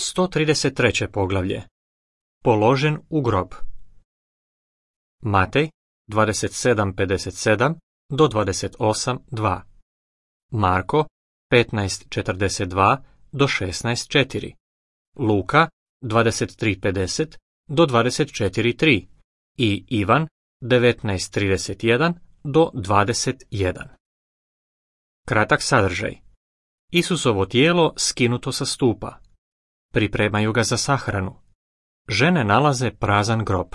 133. poglavlje. Položen u grob. Matej 27:57 do 28:2. Marko 15:42 do 16:4. Luka 23:50 do 24:3 i Ivan 19:31 do 21. Kratak sadržaj. Isusovo tijelo skinuto sa stupa. Pripremaju ga za sahranu. Žene nalaze prazan grob.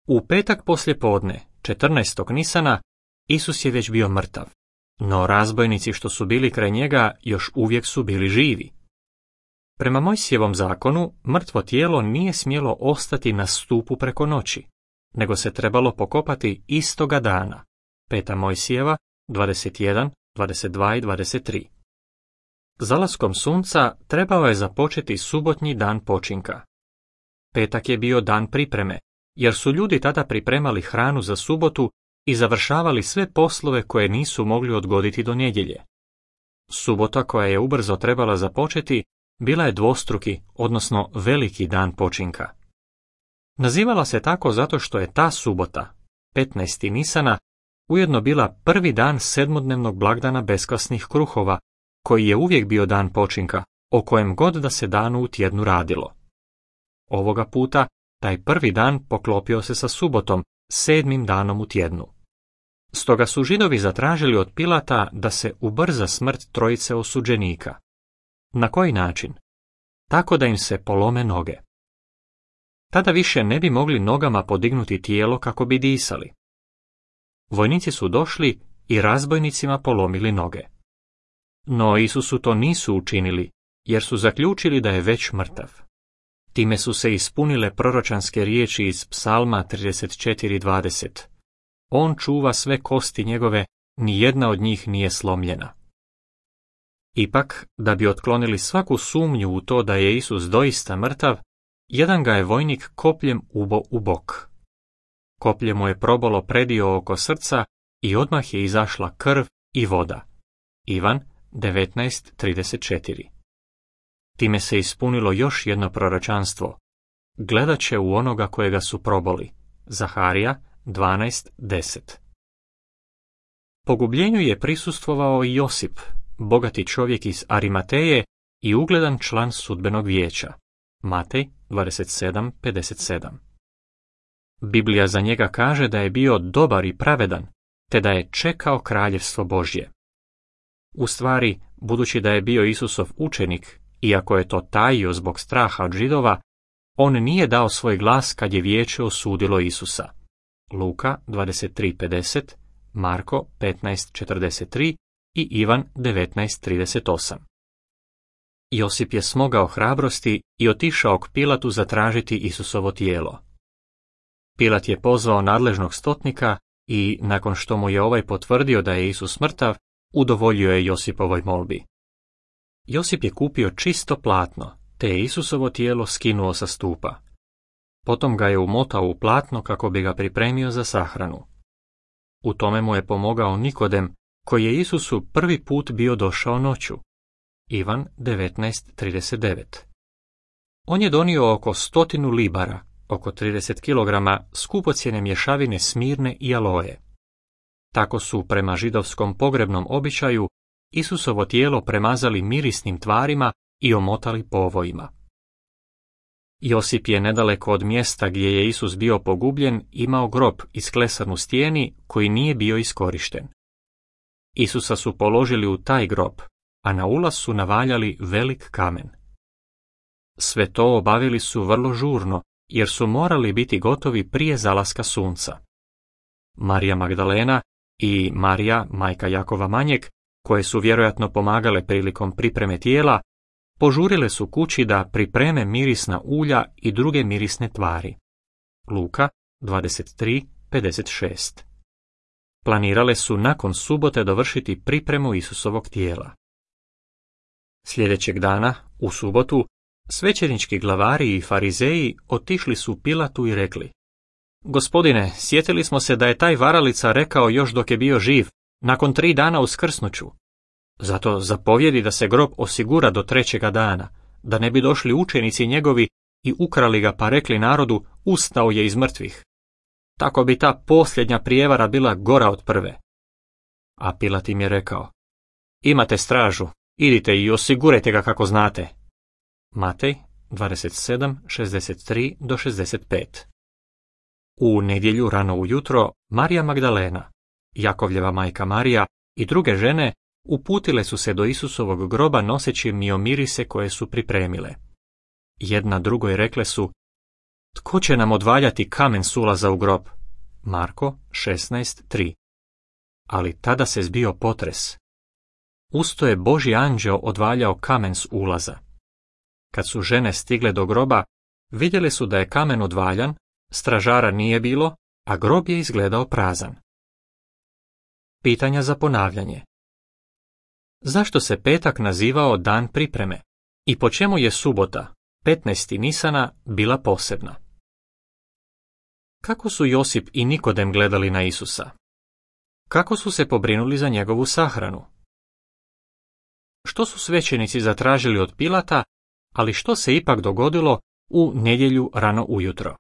U petak poslijepodne, 14. Nisana, Isus je već bio mrtav, no razbojnici što su bili kraj njega još uvijek su bili živi. Prema Mojsijevom zakonu, mrtvo tijelo nije smjelo ostati na stupu preko noći, nego se trebalo pokopati istoga dana. 5. Mojsijeva 21, 22 i 23. Zalaskom sunca trebao je započeti subotnji dan počinka. Petak je bio dan pripreme, jer su ljudi tada pripremali hranu za subotu i završavali sve poslove koje nisu mogli odgoditi do nedjelje. Subota koja je ubrzo trebala započeti bila je dvostruki, odnosno veliki dan počinka. Nazivala se tako zato što je ta subota, 15. Nisana, ujedno bila prvi dan sedmodnevnog blagdana beskvasnih kruhova, koji je uvijek bio dan počinka, o kojem god da se danu u tjednu radilo. Ovoga puta, taj prvi dan poklopio se sa subotom, 7. danom u tjednu. Stoga su Židovi zatražili od Pilata da se ubrza smrt trojice osuđenika. Na koji način? Tako da im se polome noge. Tada više ne bi mogli nogama podignuti tijelo kako bi disali. Vojnici su došli i razbojnicima polomili noge. No Isusu to nisu učinili, jer su zaključili da je već mrtav. Time su se ispunile proročanske riječi iz Psalma 34:20. On čuva sve kosti njegove, ni jedna od njih nije slomljena. Ipak, da bi otklonili svaku sumnju u to da je Isus doista mrtav, jedan ga je vojnik kopljem ubo u bok. Koplje mu je probalo predio oko srca i odmah je izašla krv i voda. Ivan 19:34. Time se ispunilo još jedno proročanstvo. Gledat će u onoga kojega su proboli. Zaharija 12:10. Pogubljenju je prisustvovao i Josip, bogati čovjek iz Arimateje i ugledan član sudbenog vijeća. Matej 27:57. Biblija za njega kaže da je bio dobar i pravedan, te da je čekao kraljevstvo Božje. U stvari, budući da je bio Isusov učenik, iako je to tajio zbog straha od Židova, on nije dao svoj glas kad je vijeće osudilo Isusa. Luka 23:50, Marko 15:43 i Ivan 19:38. Josip je smogao hrabrosti i otišao k Pilatu zatražiti Isusovo tijelo. Pilat je pozvao nadležnog stotnika i, nakon što mu je ovaj potvrdio da je Isus mrtav, udovoljio je Josipovoj molbi. Josip je kupio čisto platno, te je Isusovo tijelo skinuo sa stupa. Potom ga je umotao u platno kako bi ga pripremio za sahranu. U tome mu je pomogao Nikodem, koji je Isusu prvi put bio došao noću. Ivan 19:39. On je donio oko 100 libara, oko 30 kg skupocjene mješavine smirne i aloje. Tako su, prema židovskom pogrebnom običaju, Isusovo tijelo premazali mirisnim tvarima i omotali povojima. Josip je nedaleko od mjesta gdje je Isus bio pogubljen imao grob isklesan u stijeni koji nije bio iskorišten. Isusa su položili u taj grob, a na ulaz su navaljali velik kamen. Sve to obavili su vrlo žurno, jer su morali biti gotovi prije zalaska sunca. Marija Magdalena i Marija, majka Jakova Manjeg, koje su vjerojatno pomagale prilikom pripreme tijela, požurile su kući da pripreme mirisna ulja i druge mirisne tvari. Luka 23:56. Planirale su nakon subote dovršiti pripremu Isusovog tijela. Sljedećeg dana, u subotu, svećenički glavari i farizeji otišli su Pilatu i rekli: Gospodine, sjetili smo se da je taj varalica rekao još dok je bio živ, nakon 3 dana uskrsnuću. Zato zapovjedi da se grob osigura do 3. dana, da ne bi došli učenici njegovi i ukrali ga pa rekli narodu, ustao je iz mrtvih. Tako bi ta posljednja prijevara bila gora od prve. A Pilat im je rekao, imate stražu, idite i osigurajte ga kako znate. Matej 27:63-65. U nedjelju rano ujutro Marija Magdalena, Jakovljeva majka Marija i druge žene uputile su se do Isusovog groba noseći miomirise koje su pripremile. Jedna drugoj rekle su, tko će nam odvaljati kamen s ulaza u grob? Marko 16:3. Ali tada se zbio potres. Usto je Božji anđeo odvaljao kamen s ulaza. Kad su žene stigle do groba, vidjele su da je kamen odvaljan, stražara nije bilo, a grob je izgledao prazan. Pitanja za ponavljanje. Zašto se petak nazivao dan pripreme i po čemu je subota, 15. Nisana, bila posebna? Kako su Josip i Nikodem gledali na Isusa? Kako su se pobrinuli za njegovu sahranu? Što su svećenici zatražili od Pilata, ali što se ipak dogodilo u nedjelju rano ujutro?